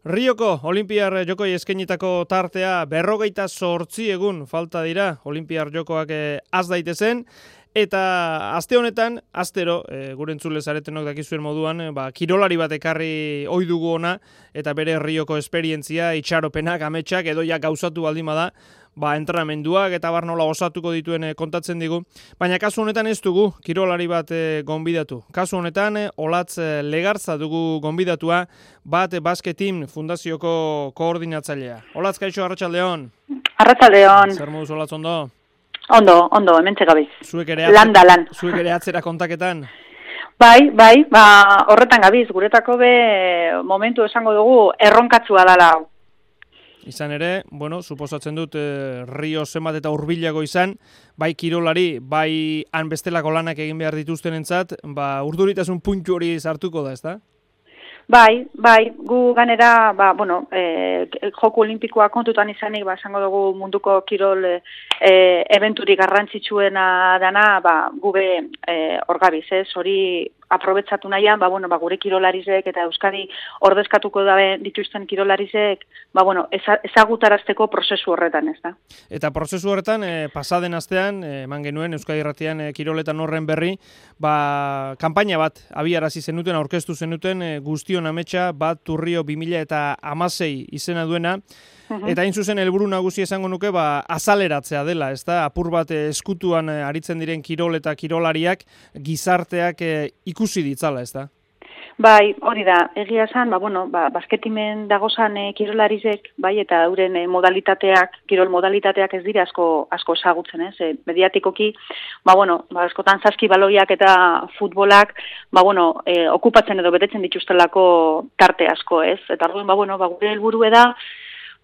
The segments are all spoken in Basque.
Rioko Olinpiar Jokoi eskainitako tartea 58 egun falta dira Olinpiar Jokoak az daitezen. Eta aste honetan, astero, gure entzule zaretenok dakizuen moduan, kirolari bat ekarri ohi dugu ona, eta bere Rioko esperientzia, itxaropenak, ametsak, edo ja gauzatu baldin bada, entrenamenduak eta bar nola osatuko dituen kontatzen digu. Baina kasu honetan ez dugu kirolari bat gonbidatu. Kasu honetan, Olatz Legarza dugu gonbidatua, Basket Team Fundazioko koordinatzailea. Olatz, kaixo, arratsaldeon. Arratsaldeon. Zer moduz, Olatz, ondo? Ondo, hementxe gabiz. Zuek ere atzera kontaketan? Bai, horretan gabiz, guretako momentu esango dugu erronkatzua dala hau. Izan ere, suposatzen dut Rio zenbat eta hurbilago izan, bai kirolari, bai han bestelako lanak egin behar dituztenentzat, urduritasun puntu hori sartuko da, ezta? Bai, gu ganera, Joko Olimpikoa kontutan izanik, esango dugu munduko kirol eventurik garrantzitsuena dana, gube hor gabiz, hori aprobetsatu nahian, gure kirolarizek eta Euskadi ordezkatuko dabe dituzten kirolarizek, ezagutarazteko prozesu horretan, ez da. Eta prozesu horretan, pasaden astean, eman genuen Euskadi Irratian kiroletan horren berri, kanpaina bat abiarazi zenuten, aurkeztu zenuten, guztion ametsa bat Rio 2016 izena duena, eta hain zuzen helburu nagusi esango nuke azaleratzea dela, ezta? Apur bat eskutuan aritzen diren kirol eta kirolariak gizarteak ikusi ditzala, ezta? Bai, hori da. Egia esan, basketimen dagozan kirolarizek, eta euren kirol modalitateak ez dira asko ezagutzen, ez? Mediatikoki, askotan zazki baloiak eta futbolak, okupatzen edo betetzen dituztelako tarte asko, ez? Eta orduan, gure helburua da,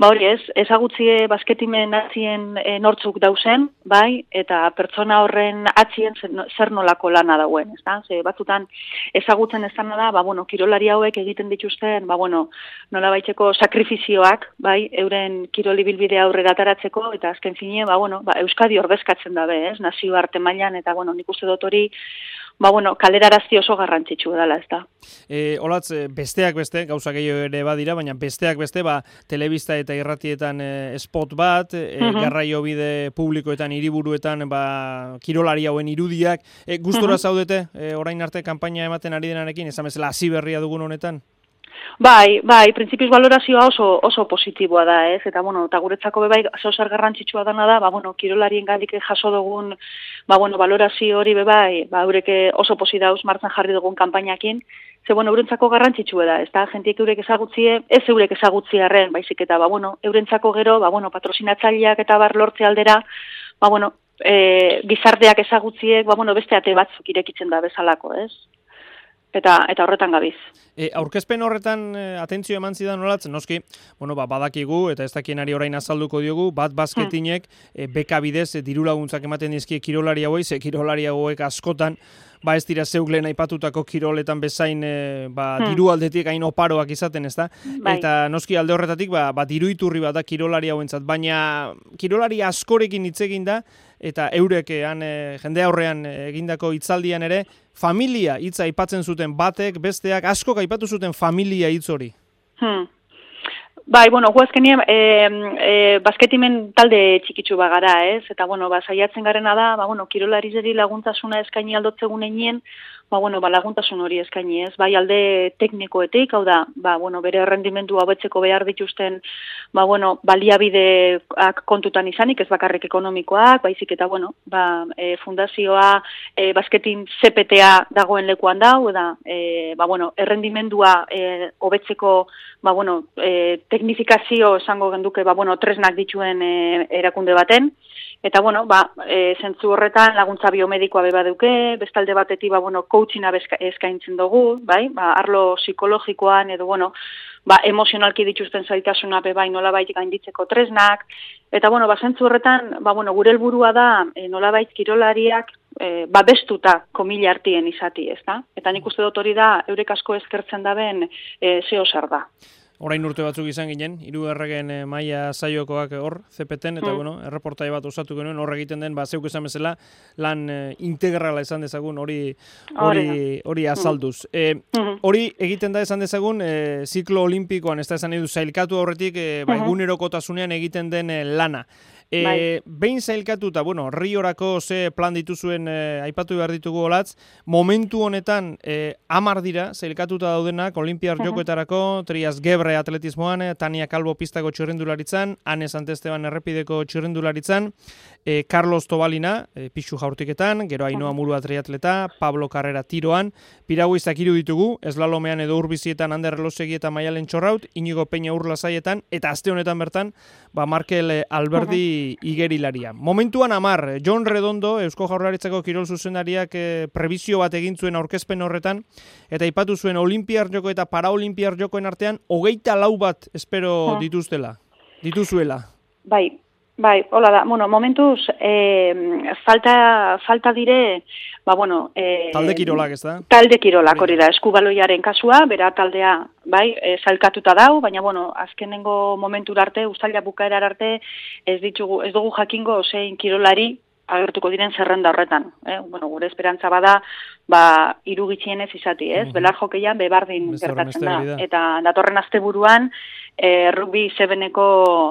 hori ez, ezagutzie basketimen atzien nortzuk dauzen, eta pertsona horren atzien zer nolako lana dauen, ez da? Batzutan ezagutzen ez dana da, kirolari hauek egiten dituzten, nola baitxeko sakrifizioak, euren kirolibilbidea aurrera ataratzeko, eta azken fine, Euskadi ordezkatzen dabe, ez? Nazioarte mailan, eta nik uste dut hori, kalerarazti oso garrantzitsu dela, ez da. Olatz, besteak beste, gauza gehiago ere badira, baina besteak beste, telebista eta irratietan spot bat, garraio bide publikoetan, hiriburuetan, kirolari hauen irudiak. Gustora zaudete, orain arte kanpaina ematen ari denarekin, esan bezala hasi berria dugun honetan? Bai, printzipioz valorazioa oso positiboa da, ez? Eta guretzako zer garrantzitsua dana da, kirolarien gandik jaso dugun, valorazio hori eurek oso posi dauz martzan jarri dugun kanpainakin, eurentzako garrantzitsua da, ez da, jentiek eurek ezagutzie, ez eurek ezagutziarren, baizik eta, eurentzako gero, patrosinatzaileak eta bar lortze aldera, gizarteak ezagutziek, beste ate batzuk irekitzen da bezalako, ez? Eta horretan gabiz. Aurkezpen horretan atentzio eman zidan Olatz, noski, badakigu eta ez dakienari orain azalduko diogu, basketinek beka bidez diru laguntzak ematen dizkie kirolari hauei, ze kirolari hauek askotan, ez dira zeuk lehen aipatutako kiroletan bezain diru aldetik hain oparoak izaten, ez da? Eta noski alde horretatik, diru iturri bat da kirolari hauentzat, baina kirolari askorekin hitz egin da, eta eurek jende aurrean egindako hitzaldian ere, familia hitza aipatzen zuten batek, besteak, askok aipatu zuten familia hitz hori. Gu azkenien basketimen talde txikitsu bagara, ez? Eta, saiatzen garena da, kirolarizeri laguntasuna eskaini aldotzegun einien, laguntasun hori eskaini, ez? Alde teknikoetik, hau da, bere errendimendu hobetzeko behar dituzten, baliabideak kontutan izanik, ez bakarrik ekonomikoak, baizik eta, fundazioa basketin CPTA dagoen lekuan dau, da, errendimendua hobetzeko, teknifikazio esango genduke, tresnak dituen erakunde baten, eta, zentzu horretan laguntza biomedikoa baduke, bestalde batetik, coachinga eskaintzen dugu, arlo psikologikoan, edo, emozionalki dituzten zaitasuna nolabait gainditzeko tresnak, eta, zentzu horretan, gure helburua da, nolabait kirolariak, babestuta komila artien izati, ez da? Eta nik uste dut hori da, eurek asko eskertzen daben zeo zer da. Orain urte batzuk izan ginen, hirugarren maila saiokoak hor, CPT-en, eta erreportai bat osatu genuen, hor egiten den, zeuk esan bezala, lan integrala esan dezagun, hori azalduz. Hori egiten da esan dezagun, ziklo olimpikoan, ez da esan edu zailkatu horretik, egunerokotasunean egiten den lana. Behin zailkatuta, Riorako ze plan dituzuen aipatu behar ditugu olatz, momentu honetan 10 dira zailkatuta daudenak Olimpiar Jokoetarako, Trias Gebre atletismoan, Tania Calvo pistako txirrindularitzan, Ane Santesteban errepideko txirrindularitzan, Carlos Tobalina pixu jaurtiketan, gero Ainhoa Murua triatleta, Pablo Carrera tiroan, piraguizak 3 ditugu, eslalomean edo urbizietan Ander Elosegi eta Maialen Txorraut, Inigo Peña Urlasaietan, eta aste honetan bertan, Markel Alberdi igerilaria. Momentuan 10, Jon Redondo, Eusko Jaurlaritzako kirol zuzendariak prebizio bat egin zuen aurkezpen horretan, eta aipatu zuen Olimpiar Joko eta Paraolimpiar Jokoen artean 24 bat espero dituzuela. Bai, hola da. Momentuz, falta dire, talde kirolak, ez da? Talde kirolak, hori da, eskubaloiaren kasua, bera taldea, zailkatuta dau, baina, azkenengo momentura arte, uztaila bukaerar arte, ez dugu jakingo zein kirolari agertuko diren zerrenda horretan. Gure esperantza bada, 3 gitxienez izati, ez? Belar jokeian bebardin gertatzen da. Eta datorren asteburuan, rugby 7-eko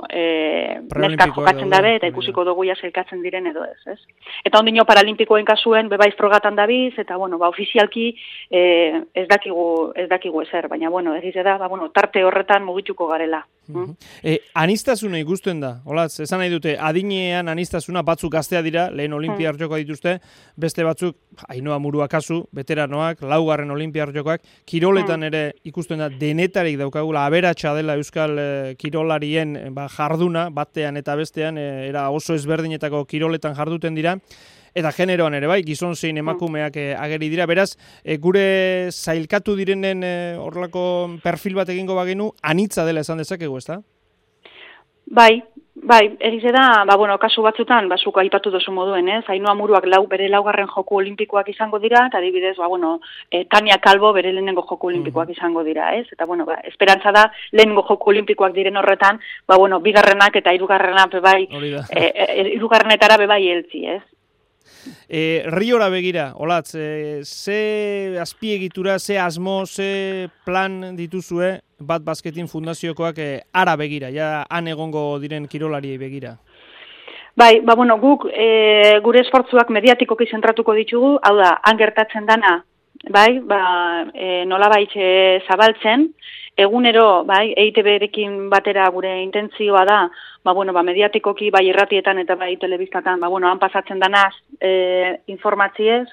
neskak jokatzen dabe, eta ikusiko dugu zailkatzen diren edo ez. Eta ondino paralimpikoen kasuen, bebaiz frogatan dabiz, eta, ofizialki ez dakigu ezer, baina, egize da, tarte horretan mugituko garela. Aniztasuna ikusten da, olatz, esan nahi dute, adinean aniztasuna batzuk gaztea dira, lehen Olimpiar Jokoa dituzte, beste batzuk, Ainhoa Murua kasu, veteranoak, 4. Olimpiar Jokoak, kiroletan ere ikusten da, denetarik daukagula, aberatsa dela euskal kirolarien jarduna, batean eta bestean, era oso ezberdinetako kiroletan jarduten dira, eta generoan ere gizon zein emakumeak ageri dira, beraz, gure zailkatu direnen horrelako perfil bat egingo bagenu, anitza dela esan dezakegu, ez da? Bai, egize da, kasu batzutan, zuk aipatu dozu moduen, ez? Ainhoa Muruak bere 4. Joku Olimpikoak izango dira, eta adibidez, Tania Calvo bere lehenengo Joku Olimpikoak izango dira, ez? Eta, esperantza da, lehenengo Joku Olimpikoak diren horretan, 2. eta 3. Hirugarrenetara bebai heltzi, ez? Riora begira, olatz, ze azpiegitura, ze asmo, ze plan dituzue Bat Basketin Fundaziokoak ara begira, han egongo diren kirolariei begira? Bai, guk gure esfortzuak mediatikoki zentratuko ditugu, hau da, han gertatzen dana, nolabait zabaltzen, egunero, EITB-rekin batera gure intentzioa da, mediatikoki, irratietan eta telebistatan, han pasatzen danaz informatzie,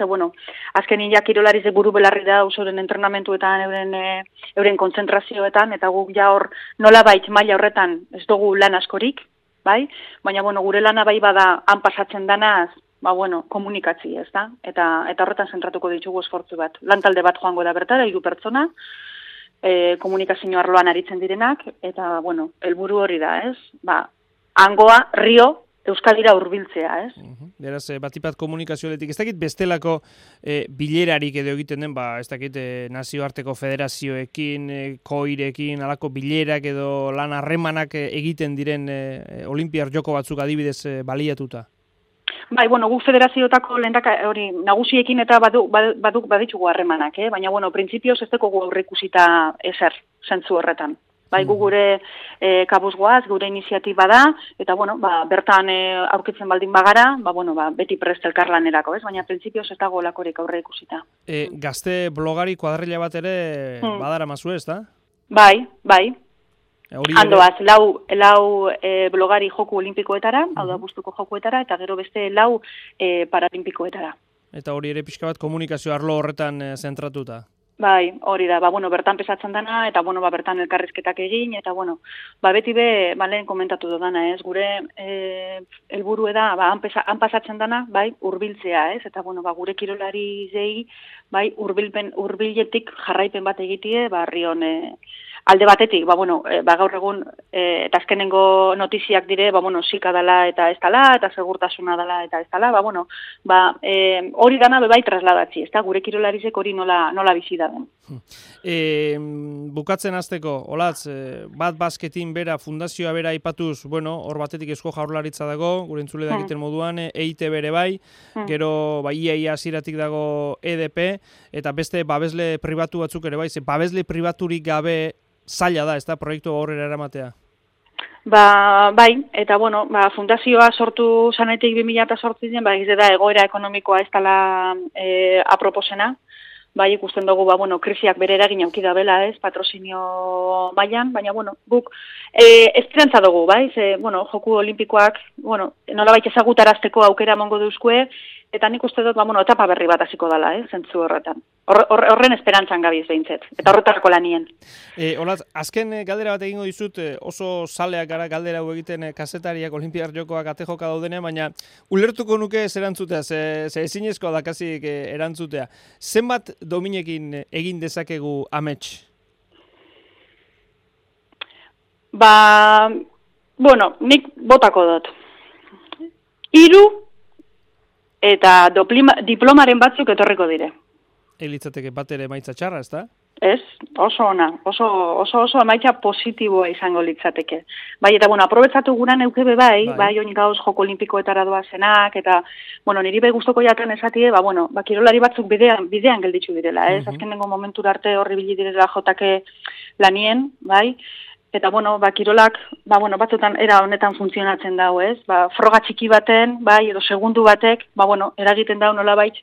azkenin kirolarize buru belarri da usoren entrenamentuetan, euren kontzentrazioetan, eta guk hor nolabait maila horretan ez dugu lan askorik, baina gure lana bada han pasatzen danaz, komunikatzi, ez da? Eta horretan zentratuko ditugu esfortzu bat. Lantalde bat joango da bertara, 3 pertsona, komunikazio arloan aritzen direnak, eta, helburu hori da, ez? Hangoa, Rio, Euskadira hurbiltzea, ez? Beraz, batipat komunikazioetik, ez dakit bestelako bilerarik edo egiten den, ez dakit nazioarteko federazioekin, koirekin, alako bilerak edo lan harremanak egiten diren Olimpiar Joko batzuk adibidez baliatuta? Guk federazioetako nagusiekin eta baditugu harremanak, baina, printzipioz ez dugu aurreikusita ezer, zentzu horretan. Gu gure kabuz goaz, gure iniziatiba da, eta, bertan aurkitzen baldin bagara, beti prest elkarlanerako, ez? Baina, printzipioz ez dago lakorik aurreikusita. Gazte blogari kuadrilla bat ere badara mazu ez, da? Bai. Handoaz, lau blogari Joku Olimpikoetara, hau da Bustuko Jokuetara, eta gero beste 4 Paralimpikoetara. Eta hori ere pixka bat komunikazio arlo horretan zentratuta? Bai, hori da, bertan pesatzen dana, eta, bertan elkarrizketak egin, eta, beti lehen komentatu dudana, ez, gure helburu da, han pasatzen dana, hurbiltzea, ez, eta, gure kirolari zei, hurbiletik jarraipen bat egitie, Rion alde batetik, gaur egun, eta azkenengo notiziak dire, zika dela eta ez dela, eta segurtasuna dela eta ez dela, hori dana bebai trasladatzi, ez da, gure kirolarizek hori nola bizi da den. Bukatzen hasteko, Olatz, bat basketin bera, fundazioa bera aipatuz, hor batetik Eusko Jaurlaritza dago, gure entzule dakiten moduan, EIT bere bai, gero iaia hasieratik dago EDP, eta beste babesle pribatu batzuk ere bai, babesle pribaturik gabe zaila da, ez da, proiektu aurrera eramatea? Bai, eta fundazioa sortu zanetik 2008 egize da egoera ekonomikoa ez dela aproposena, bai, ikusten dugu, krisiak bere eragin auki da bela, ez, patrozinio mailan, baina, guk esperantza dugu, bai, joku olimpikoak, nolabait ezagutarazteko aukera emango duzkue, eta nik uste dut, etapa berri bat hasiko dela, zentzu horretan. Horren esperantzan gabiz behintzet, eta horretarako lanien. Olatz, azken galdera bat egingo dizut, oso zaleak gara galdera hau egiten kazetariak Olinpiar Jokoak ate joka daudenean, baina ulertuko nuke ez erantzutea, ze ezinezkoa dakasik erantzutea. Zenbat dominekin egin dezakegu amets? Nik botako dut. 3 eta diplomaren batzuk etorriko dire. Litzateke bat ere emaitza txarra, ez da? Ez, oso ona, oso emaitza positiboa izango litzateke. Bai, eta aprobetsatu guran eukebe bai, oin gauz joko olimpikoetara doazenak, eta, niri bai guztoko jaten esatie, kirolari batzuk bidean gelditzu direla, ez? Azkenengo momentura arte horri bili direla jotake lanien, bai? Eta, kirolak, batzutan era honetan funtzionatzen dau, ez? Froga txiki baten, bai, edo segundu batek, eragiten dau nolabait,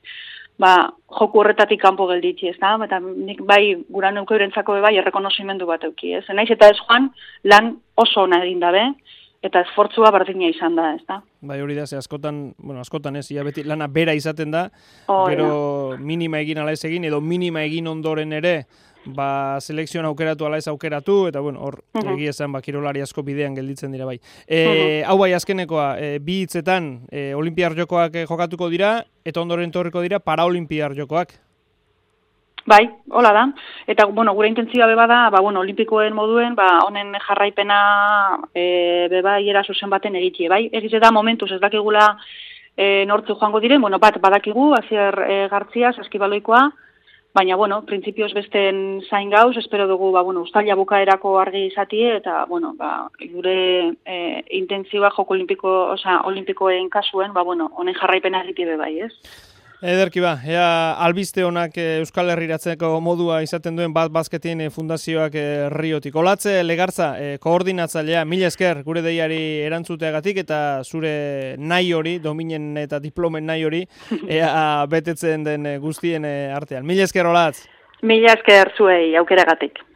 joku horretatik kanpo gelditzi, ez da? Eta nik bai, gura neuko eurentzako bai, errekonozimendu bat euki, ez? Naiz eta ez joan, lan oso ona egin dabe, eta esfortzua berdina izan da, ez da? Bai, hori da, ze askotan ez, beti lana bera izaten da, gero minima egin ala ez egin, edo minima egin ondoren ere, selekzioan aukeratu ala ez aukeratu, eta hor egia esan kirolari asko bidean gelditzen dira bai. Hau bai azkenekoa, bi hitzetan Olinpiar Jokoak jokatuko dira, eta ondoren torriko dira Paraolinpiar Jokoak. Bai, hola da. Eta, gure intentzioa beba da, olimpikoen moduen, honen jarraipena beba hiera zuzen baten egitie, bai? Egize da momentuz ez dakigula nortzu joango diren, bat badakigu, Asier Gartzia, saskibaloikoa, baina, printzipioz besten zain gauz, espero dugu, uztaila bukaerako argi izatie, eta, gure intentzioa joko olimpikoen kasuen, honen jarraipena egitie bai, ez? Ederki ea albiste honak Euskal Herriratzeko modua izaten duen bat basketin fundazioak Riotik. Olatz Legartza, koordinatzailea, mila esker gure deiari erantzuteagatik eta zure nahi hori, dominen eta diplomen nahi hori, ea betetzen den guztien artean. Mila esker, Olatz! Mila esker zuei aukeragatik.